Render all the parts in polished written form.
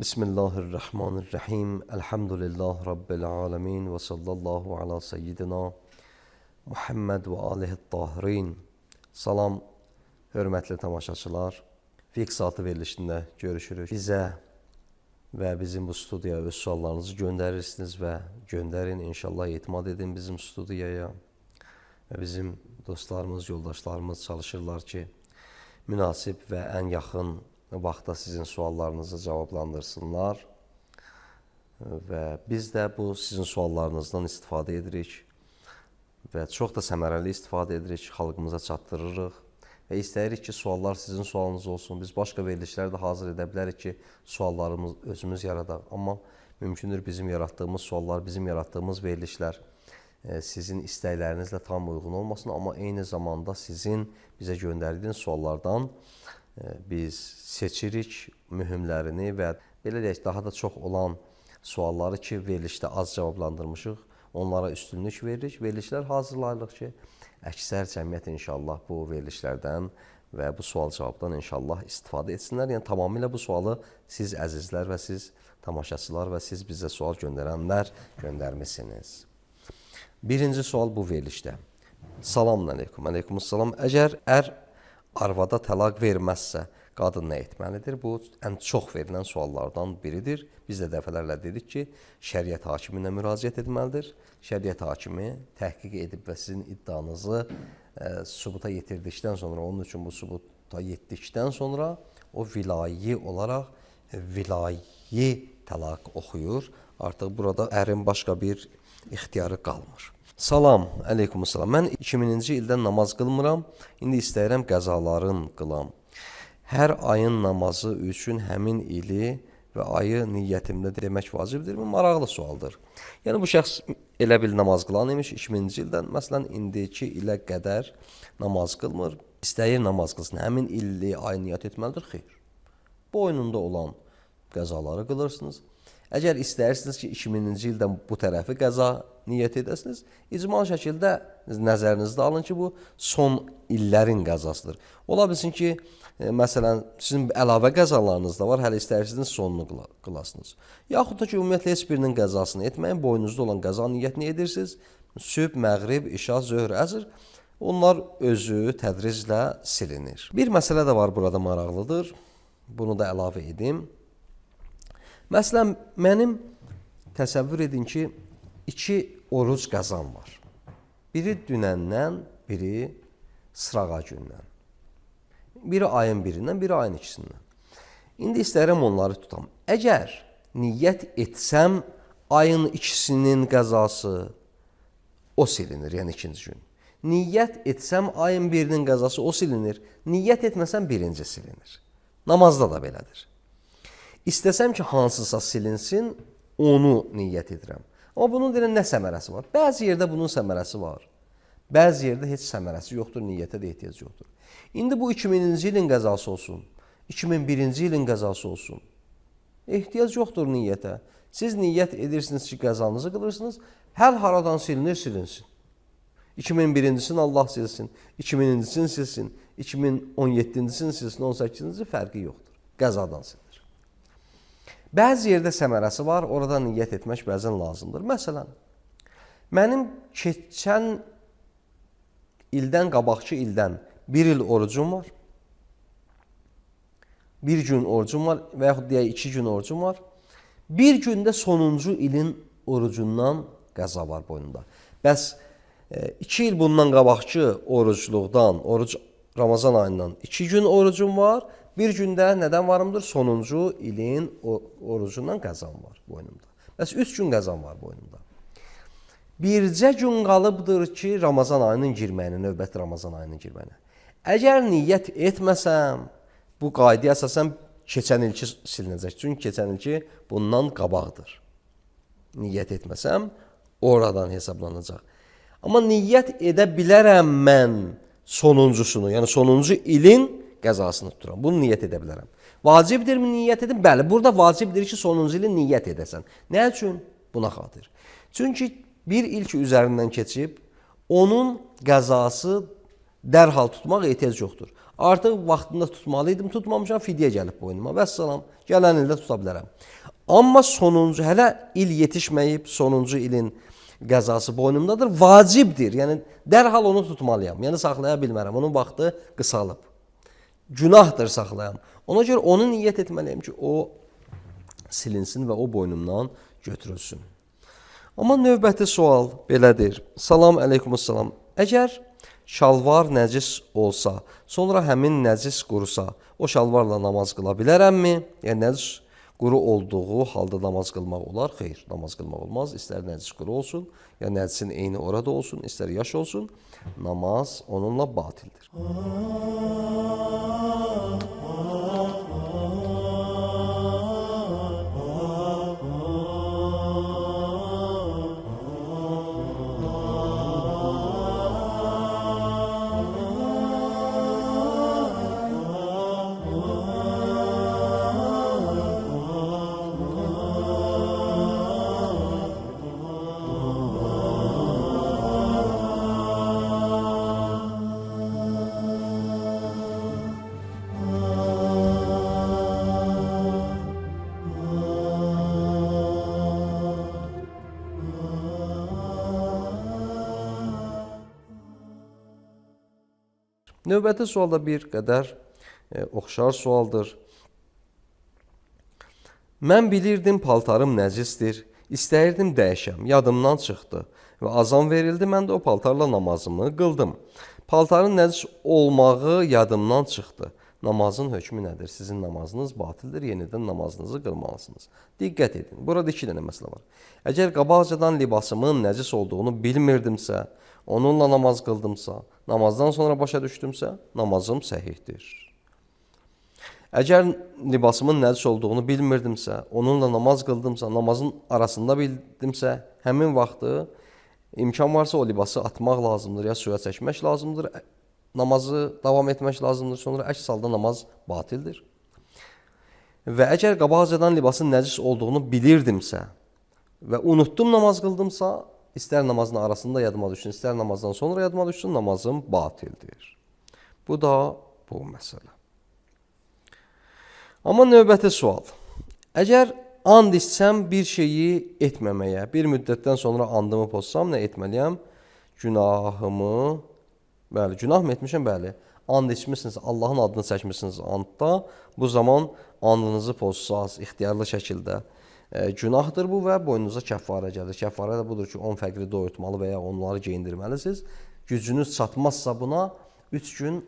Bismillahirrahmanirrahim. Elhamdülillah Rabbil alemin ve sallallahu ala seyyidina Muhammed ve alihi tahirin. Salam, hörmətli tamaşaçılar. Fiqh saatı verilişində görüşürük. Bizə və bizim bu studiyaya öz suallarınızı göndərirsiniz və göndərin. İnşallah etimad edin bizim studiyaya. Və bizim dostlarımız, yoldaşlarımız çalışırlar ki, münasib və ən yaxın vaxtda sizin suallarınızı cavablandırsınlar. Və biz də bu sizin suallarınızdan istifadə edirik və çox da səmərəli istifadə edirik, xalqımıza çatdırırıq və istəyirik ki, suallar sizin sualınız olsun. Biz başqa verilişlər də hazır edə bilərik ki, suallarımız özümüz yaradaq. Amma mümkündür bizim yaratdığımız suallar, bizim yaratdığımız verilişlər sizin istəklərinizlə tam uyğun olmasın, amma eyni zamanda sizin bizə göndərdiyiniz suallardan biz seçirik mühümlərini və belə deyək, daha da çox olan sualları ki, verilişdə az cavablandırmışıq, onlara üstünlük veririk. Verilişlər hazırlayırıq ki, əksər cəmiyyət inşallah bu verilişlərdən və bu sual-cavabdan inşallah istifadə etsinlər. Yəni, tamamilə bu sualı siz əzizlər və siz tamaşaçılar və siz bizə sual göndərənlər göndərmişsiniz. Birinci sual bu verilişdə. Salamun aleykum, aleykumussalam. Əgər arvada təlaq verməzsə, qadın nə etməlidir? Bu, ən çox verilən suallardan biridir. Biz də dəfələrlə dedik ki, şəriət hakiminə müraciət etməlidir. Şəriət hakimi təhqiq edib və sizin iddianızı sübuta yetirdikdən sonra, onun üçün bu sübuta yetdikdən sonra o vilayi olaraq vilayi təlaq oxuyur. Artıq burada ərin başqa bir ixtiyarı qalmır. Salam, əleykumussalam. Mən 2000-ci ildən namaz qılmıram, indi istəyirəm qəzaların qılam. Hər ayın namazı üçün həmin ili və ayı niyyətimdə demək vacibdirmi? Maraqlı sualdır. Yəni, bu şəxs elə bil namaz qılan imiş 2000-ci ildən, məsələn, indiki ilə qədər namaz qılmır, istəyir namaz qılsın, həmin illi ayı niyyət etməlidir, xeyr. Boynunda olan qəzaları qılırsınız. Əgər istəyirsiniz ki, 2000-ci ildən bu tərəfi qəza niyyət edəsiniz, icmal şəkildə nəzərinizdə alın ki, bu son illərin qəzasıdır. Ola bilsin ki, məsələn, sizin əlavə qəzalarınız da var, hələ istəyirsiniz sonunu qılasınız. Yaxud da ki, ümumiyyətlə heç birinin qəzasını etməyin, boynunuzda olan qəza niyyətini edirsiniz, sübh, məğrib, işa, zöhr, əsr, onlar özü tədriclə silinir. Bir məsələ də var burada maraqlıdır, bunu da əlavə edim. Məsələn, mənim təsəvvür edin ki, 2 oruc qəzam var. Biri dünəndən, biri sırağa gündən. Biri ayın birindən, biri ayın ikisindən. İndi istəyirəm onları tutam. Əgər niyyət etsəm, ayın ikisinin qəzası o silinir, yəni ikinci gün. Niyyət etsəm, ayın birinin qəzası o silinir. Niyyət etməsəm, birinci silinir. Namazda da belədir. İstəsəm ki, hansısa silinsin, onu niyyət edirəm. Amma bunun deyilən nə səmərəsi var? Bəzi yerdə bunun səmərəsi var. Bəzi yerdə heç səmərəsi yoxdur, niyyətə də ehtiyac yoxdur. İndi bu 2000-ci ilin qəzası olsun, 2001-ci ilin qəzası olsun. Ehtiyac yoxdur niyyətə. Siz niyyət edirsiniz ki, qəzanızı qılırsınız, hər haradan silinir, silinsin. 2001-cisini Allah silsin, 2000-cisini silsin, 2017-cisini silsin, 18-ci fərqi yoxdur. Qəzadan silinir. Bəzi yerdə səmərəsi var, orada niyyət etmək bəzən lazımdır. Məsələn, mənim keçən ildən, qabaqçı ildən 1 il orucum var, 1 gün orucum var və yaxud deyək 2 gün orucum var. Bir gündə sonuncu ilin orucundan qəza var boynunda. Bəs 2 il bundan qabaqçı orucluqdan, Ramazan ayından 2 gün orucum var. Bir gündə nədən varımdır? Sonuncu ilin orucundan qəzam var boynumda. Bəs 3 gün qəzam var boynumda. Bircə gün qalıbdır ki, Ramazan ayının girməyinə, növbəti Ramazan ayının girməyinə. Əgər niyyət etməsəm, bu qaydaya əsasən keçən ilki silinəcək. Çünki keçən ilki bundan qabaqdır. Niyyət etməsəm, oradan hesablanacaq. Amma niyyət edə bilərəm mən sonuncusunu, yəni sonuncu ilin qəzasını tuturam. Bunu niyyət edə bilərəm. Vacibdirmi niyyət edin? Bəli, burada vacibdir ki, sonuncu ilin niyyət edəsən. Nə üçün? Buna xatir. Çünki bir il ki üzərindən keçib, onun qəzası dərhal tutmaq ehtiyac yoxdur. Artıq vaxtında tutmalıydım, tutmamışam, fidyə gəlib boynuma. Vəssalam, gələn ildə tuta bilərəm. Amma sonuncu, hələ il yetişməyib, sonuncu ilin qəzası boynumdadır, vacibdir. Yəni, dərhal onu tutmalıyam. Yəni, saxlaya bilmərəm. Onun vaxtı qısalıb. Günahdır saxlayam. Ona görə onu niyyət etməliyəm ki, o silinsin və o boynumdan götürülsün. Amma növbəti sual belədir. Salam əleykumussalam. Əgər şalvar nəcis olsa, sonra həmin nəcis qurusa, o şalvarla namaz qıla bilərəmmi? Yəni, nəcis quru olduğu halda namaz qılmaq olar? Xeyr, namaz qılmaq olmaz. İstər nəcis quru olsun, ya nəcisin eyni orada olsun, istər yaş olsun, namaz onunla batildir. Növbəti sual da bir qədər oxşar sualdır. Mən bilirdim paltarım nəcisdir, istəyirdim dəyişəm, yadımdan çıxdı və azan verildi, mən də o paltarla namazımı qıldım. Paltarın nəcis olmağı yadımdan çıxdı. Namazın hökmü nədir? Sizin namazınız batildir, yenidən namazınızı qılmalısınız. Diqqət edin, burada iki dənə məsələ var. Əgər qabaqcadan libasımın nəcis olduğunu bilmirdimsə, onunla namaz qıldımsa, namazdan sonra başa düşdümsə, namazım səhihdir. Əgər libasımın nəcis olduğunu bilmirdimsə, onunla namaz qıldımsa, namazın arasında bildimsə, həmin vaxtı imkan varsa o libası atmaq lazımdır, ya suya çəkmək lazımdır, namazı davam etmək lazımdır, sonra əks halda namaz batildir. Və əgər qabaqcadan libasın nəcis olduğunu bilirdimsə və unutdum namaz qıldımsa, İstər namazın arasında yadıma düşsün, istər namazdan sonra yadıma düşsün, namazım batildir. Bu da bu məsələ. Amma növbəti sual. Əgər and içsəm bir şeyi etməməyə, bir müddətdən sonra andımı pozsam, nə etməliyəm? Günahımı, bəli, günah mı etmişəm? Bəli. And içmişsiniz, Allahın adını çəkmişsiniz andda, bu zaman andınızı pozsaz, ixtiyarlı şəkildə günahdır bu və boynunuza kəffarə gəlir. Kəffarə də budur ki, 10 fəqri doyurtmalı və ya onları geyindirməlisiniz. Gücünüz çatmazsa buna 3 gün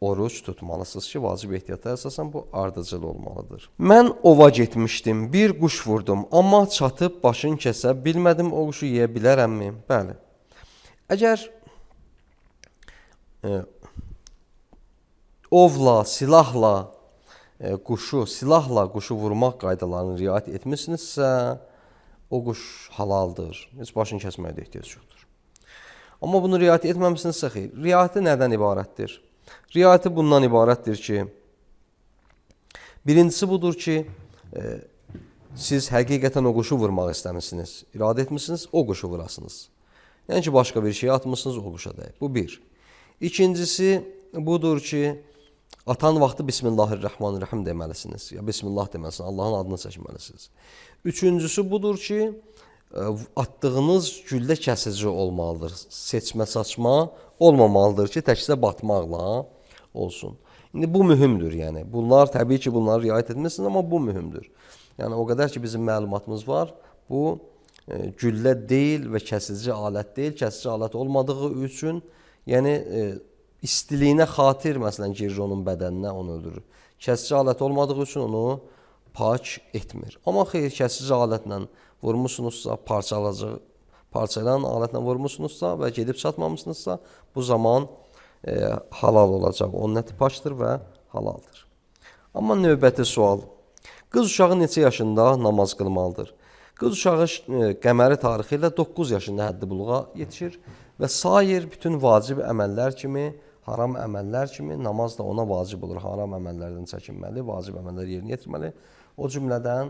oruç tutmalısınız ki, vacib ehtiyata əsasən bu ardıcıl olmalıdır. Mən ova getmişdim, bir quş vurdum, amma çatıb başını kəsə bilmədim, o quşu yeyə bilərəmmi? Bəli. Əgər ovla, silahla, silahla quşu vurmaq qaydalarını riayət etmişsinizsə, o quş halaldır. Heç başını kəsməyə də ehtiyac yoxdur. Amma bunu riayət etməmişsinizsə, xeyr. Riayəti nədən ibarətdir? Riayəti bundan ibarətdir ki, birincisi budur ki, siz həqiqətən o quşu vurmaq istəmişsiniz, iradə etmişsiniz, o quşu vurasınız. Yəni ki, başqa bir şey atmışsınız, o quşa dəyib. Bu bir. İkincisi budur ki, atan vaxtı Bismillahirrahmanirrahim deməlisiniz. Ya Bismillah deməlisiniz, Allahın adını çəkməlisiniz. Üçüncüsü budur ki, attığınız güllə kəsici olmalıdır. Seçmə, saçma olmamalıdır ki, təkcə batmaqla olsun. İndi bu mühümdür, yəni. Bunlar, təbii ki, bunları riayət etmişsiniz, amma bu mühümdür. Yəni, o qədər ki, bizim məlumatımız var, bu güllə deyil və kəsici alət deyil. Kəsici alət olmadığı üçün, yəni, istiliyinə xatir, məsələn, girir onun bədəninə, onu öldürür. Kəsici alət olmadığı üçün onu pak etmir. Amma xeyr, kəsici alətlə vurmuşsunuzsa, parçalayan alətlə vurmuşsunuzsa və gedib çatmamışsınızsa, bu zaman halal olacaq. Onun əti pakdır və halaldır. Amma növbəti sual. Qız uşağı neçə yaşında namaz qılmalıdır? Qız uşağı qəməri tarixi ilə 9 yaşında həddi buluğa yetişir və sair bütün vacib əməllər kimi, haram əməllər kimi namaz da ona vacib olur. Haram əməllərdən çəkinməli, vacib əməlləri yerinə yetirməli. O cümlədən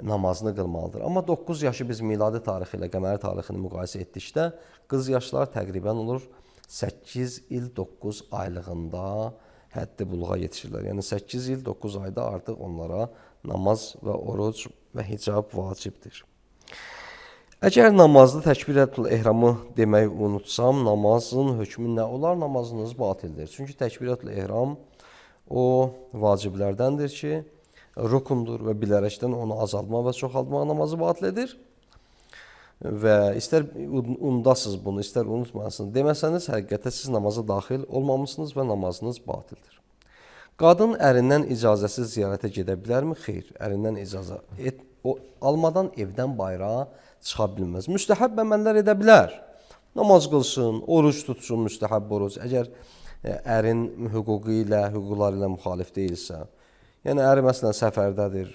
namazını qılmalıdır. Amma 9 yaşı biz miladi tarixi ilə qəməri tarixini müqayisə etdikdə qız yaşlar təqribən olur 8 il 9 aylığında həddi buluğa yetişirlər. Yəni 8 il, 9 ayda artıq onlara namaz və oruc və hicab vacibdir. Əgər namazda təkbirətül ehramı deməyi unutsam, namazın hökmü nə olar? Namazınız batildir. Çünki təkbirətül ehram o vaciblərdəndir ki, rukundur və bilərəkdən onu azaltmaq və çoxaltmaq namazı batil edir. Və istər unudasınız bunu, istər unutmayasınız deməsəniz, həqiqətə siz namaza daxil olmamışsınız və namazınız batildir. Qadın ərindən icazəsiz ziyarətə gedə bilərmi? Xeyr, ərindən icazə almadan evdən bayıra çıxa bilməz. Müstəhəb əməllər edə bilər. Namaz qılsın, oruç tutsun, müstəhəb oruc. Əgər ərin hüquqları ilə müxalif deyilsə, yəni əri məsələn səfərdədir,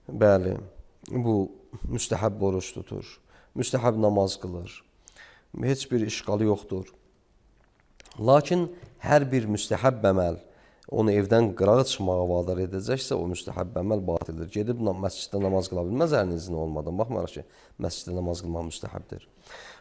bəli, bu müstəhəb oruç tutur, müstəhəb namaz qılır, heç bir işğalı yoxdur. Lakin hər bir müstəhəb əməl onu evdən qırağa çıxmağa vadar edəcəksə, o müstəhəb əməl batildir. Gedib məsciddə namaz qıla bilməz ərinin izni olmadan. Baxmayaraq ki, məsciddə namaz qılmaq müstəhəbdir.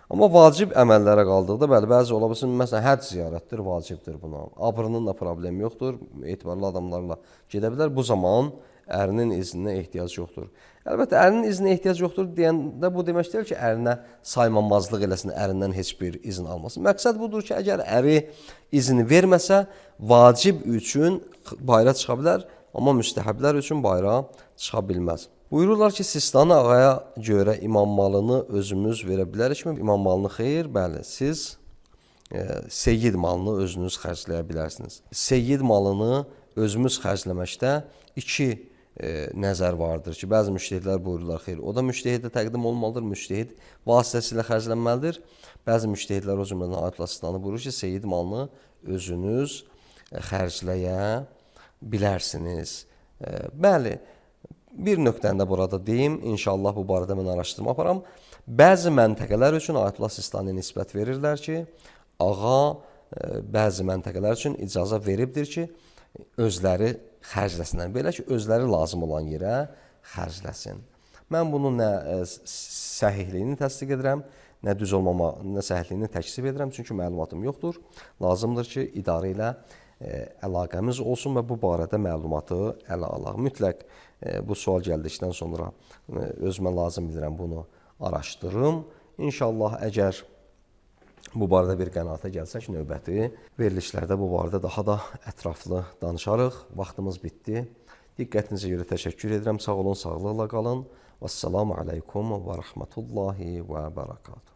Amma vacib əməllərə qaldıqda, bəli, bəzi ola bilsin, məsələn, həcc ziyarətdir, vacibdir buna. Abrının da problemi yoxdur, etibarlı adamlarla gedə bilər. Bu zaman ərinin izninə ehtiyac yoxdur. Əlbəttə, ərinin izninə ehtiyac yoxdur deyəndə bu demək deyil ki, ərinə saymamazlıq eləsin, ərindən heç bir izin almasın. Məqsəd budur ki, əgər əri izini verməsə, vacib üçün bayra çıxa bilər, amma müstəhəblər üçün bayra çıxa bilməz. Buyururlar ki, Sistani ağaya görə imam malını özümüz verə bilərikmi? İmam malını xeyr, bəli, siz seyyid malını özünüz xərcləyə bilərsiniz. Seyyid malını özümüz xərcləməkdə iki nəzər vardır ki, bəzi müştəhidlər buyururlar, xeyr, o da müştəhidə təqdim olmalıdır, müştəhid vasitəsilə xərclənməlidir. Bəzi müştəhidlər o cümlədən Ayətullah Sistani buyurur ki, seyyid malını özünüz xərcləyə bilərsiniz. Bəli, bir nöqtəni də burada deyim, inşallah bu barədə mən araşdırma aparam. Bəzi məntəqələr üçün Ayətullah Sistani nisbət verirlər ki, ağa bəzi məntəqələr üçün icazə veribdir ki, özləri xərcləsinlər. Belə ki, özləri lazım olan yerə xərcləsin. Mən bunun nə səhihliyini təsdiq edirəm, nə düz olmama, nə səhihliyini təksib edirəm, çünki məlumatım yoxdur. Lazımdır ki, idarə ilə əlaqəmiz olsun və bu barədə məlumatı ələ alaq. Mütləq bu sual gəldikdən sonra özümə lazım bilirəm bunu araşdırım. İnşallah, əgər bu barədə bir qənaətə gəlsək, növbəti verilişlərdə bu barədə daha da ətraflı danışarıq. Vaxtımız bitdi. Diqqətinizə görə təşəkkür edirəm. Sağ olun, sağlıqla qalın. Vəssalamu aleykum və rəhmətullahi və bərəkatuhu.